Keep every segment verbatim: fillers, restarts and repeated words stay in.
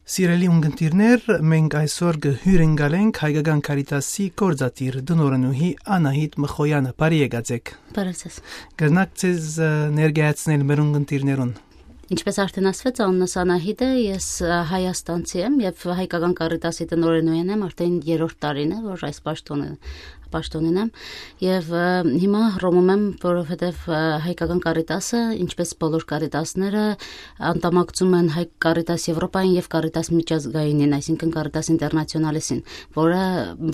Սիրելի ունգընտիրներ, մենք այսօր կը հյուրընկալենք Հայկական Կարիտասի գործադիր տնօրենուհի Անահիտ Մխոյանը։ Բարի եկած եք։ Բարև ձեզ։ Կրնակ ձեզ, ը, ներկայացնել մեր ունգընտիրներուն։ Ինչպես արդեն ասվեց, անունս Անահիտ է, ես, ը, հայաստանցի եմ եւ Հայկական Կարիտասի տնօրենուհին եմ, արդեն երրորդ տարին է, որ այս պաշտոնը, պաշտոնին եմ։ Եվ, ը, հիմա Հռոմում եմ, որովհետեւ, ը, Հայկական Կարիտասը, ինչպես բոլոր Կարիտասները, անդամակցում են Հայ Կարիտաս Եվրոպային եւ Կարիտաս Միջազգայինին, այսինքն Կարիտաս Ինտերնացիոնալիսին, որը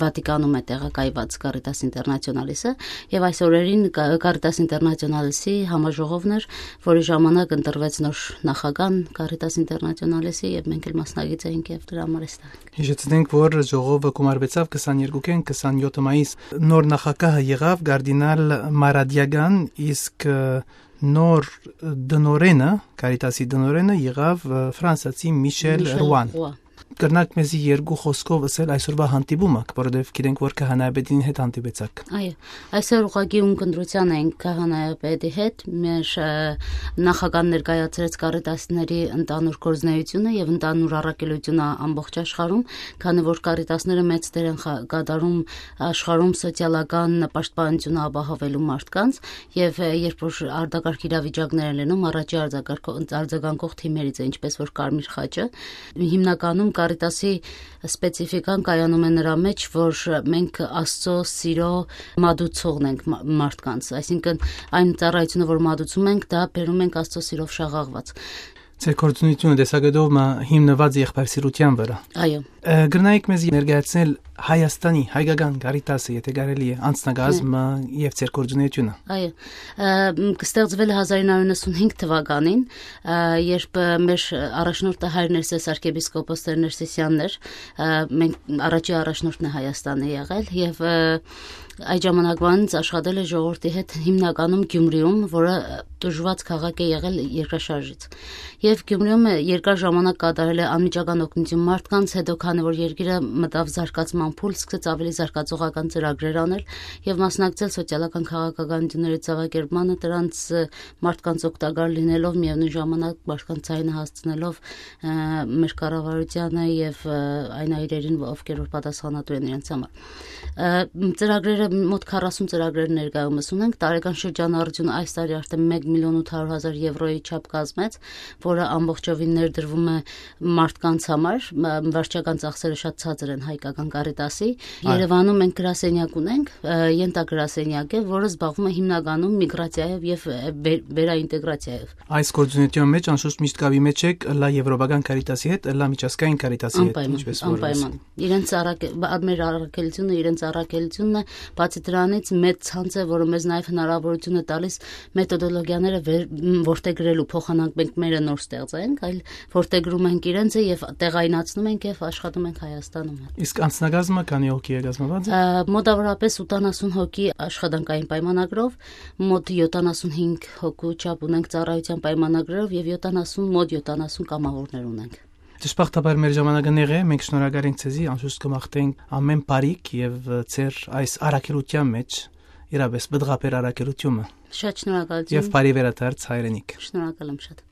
Վատիկանում է տեղակայված Կարիտաս Ինտերնացիոնալիսը, եւ այս օրերին Կա-, Կարիտաս Ինտերնացիոնալիսի համաժողովն էր, որի ժամանակ ընտրվեց նոր նախագահ Կարիտաս Ինտերնացիոնալիսի, եւ մենք էլ մասնակից էինք եւ դրա համար էստեղ ենք։ Հիշեցնենք, որ ժողովը գումարվեցաւ քսաներկուքէն քսանյոթ մայիս։ Նոր նախագահը եղաւ կարդինալ Մարադիական, իսկ, ը, նոր տնօրենը, Կարիտասի տնօրենը եղաւ, ը, ֆրանսացի Միշել Միշել Ռուան։ Ռուան։ Կրնակ մեզի երկու խոսքով ըսել այսօրվա հանդիպումը, որովհետեւ գիտենք, որ քահանայապետին հետ հանդիպեցաք։ Այո, այսօր ուղղակի ունկնդրության ենք քահանայապետի հետ, մեր, ը, նախագահ ներկայացրեց Կարիտասների ընդհանուր գործունեությունը եւ ընդհանուր առաքելությունը ամբողջ աշխարհում, քանի որ Կարիտասները մեծ դեր են խա-, կատարում աշխարհում սոցիալական պաշտպանությունը ապահովելու մարդկանց, եւ, ը, երբ որ արտակարգ իրավիճակներ են լինում, առաջի արձակարգ-, արձագանքող թիմերից է, ինչպես որ Կարմիր Խաչը, հիմնականում Կարիտասի սպեցիֆիկան կայանում է նրա մեջ, որ մենք Աստծո սիրո մատուցողն ենք մա-, մարդկանց, այսինքն այն ծառայությունը, որ մատուցում ենք, դա բերում ենք Աստծո սիրով շաղաղված։ Ձեր գործունեությունը տեսակետով մը հիմնված է եղբայրսիրության վրա։ Այո։ Ը, կրնայիք մեզ ներկայացնել Հայաստանի հայկական Կարիտասը, եթե կարելի է, անձնակազմը եւ ձեր գործունեությունը։ Այո, ը, մ, կստեղծվել է հազար ինը հարյուր նոյնսունհինգ թվականին, ը, երբ, ը, մեր առաջնորդը հայր Ներսես արքեպիսկոպոս Տեր Ներսեսյանն էր, ը, մենք առաջի առաջնորդն է Հայաստանի եղել եւ, ը, այդ ժամանակվանից աշխատել է ժողովրդի հետ հիմնականում Գյումրիում, որը տուժված քաղաք է եղել երկրաշարժից։ Եվ Գյումրիում է երկար ժամանակ կատարել է անմիջական օգնություն մարդկանց, հետո քանի որ երկիրը մտավ զարգացման փուլ, սկսեց ավելի զարգացողական ծրագրեր անել եւ մասնակցել սոցիալական քաղաքականությունների ձեւակերպմանը, դրանց, ը, մարդկանց օգտակար լինելով, միեւնույն ժամանակ մարդկանց ձայնը հասցնելով, ը, մեր կառավարությանը եւ, ը, այն այրերին, ովքեր որ պատասխանատու են իրենց համար։ Ը, մ, ծրագրերը, մոտ քառասուն ծրագրեր ներկայումս ունենք, տարեկան շրջանառությունը այս տարի արդեն մեկ միլիոն ութ հարյուր հազար եվրոյի չափ կազմեց, որը ամբողջովին ներդրվում է մարդկանց համար, մ, վարչական ծախսերը շատ ցածր են հայկական Կարիտասի։ Այո։ Երևանում մենք գրասենյակ ունենք, ը, ենթագրասենյակ է, որը զբաղվում է հիմնականում միգրացիայով եւ, ը, վեր-, վերաինտեգրացիայով։ Այս գործունեության մեջ անշուշտ միշտ կապի մեջ եք ըլլայ եվրոպական Կարիտասի հետ, ըլլայ միջազգային Կարիտասի հետ, Անպայման, ինչպես որ անպայման։ Իրենց առաք-, բա-, մեր առաքելությունը իրենց առաքելությունն է, բացի դրանից մեծ ցանց է, որը մեզ նաեւ հնարավորություն է տալիս մեթոդոլոգիաները վեր-, մ, որդեգրելու փոխանակ մենք մերը նոր ստեղծենք, այլ որդեգրում ենք իրենցը եւ տեղայնացնում ենք եւ աշխատում ենք Հայաստանում։ Իսկ անձնակազմը քանի՞ հոգի է կազմված։ Ա, մոտավորապես ութանասուն հոգի աշխատանքային պայմանագրով, մոտ յոթանասունհինգ հոգու չափ ունենք ծառայության պայմանագրերով եւ յոթանասուն, մոտ յոթանասուն կամավորներ ունենք։ Դժբախտաբար մեր ժամանակը նեղ է, մենք շնորհակալ ենք ձեզի, անշուշտ կմաղթենք ամեն բարիք եւ, ը, ձեր այս առաքելության մեջ իրապես պտղաբեր առաքելությունը։ Շատ շնորհակալություն։ Եվ բարի վերադարձ հայրենիք։ Շնորհակալ եմ շատ։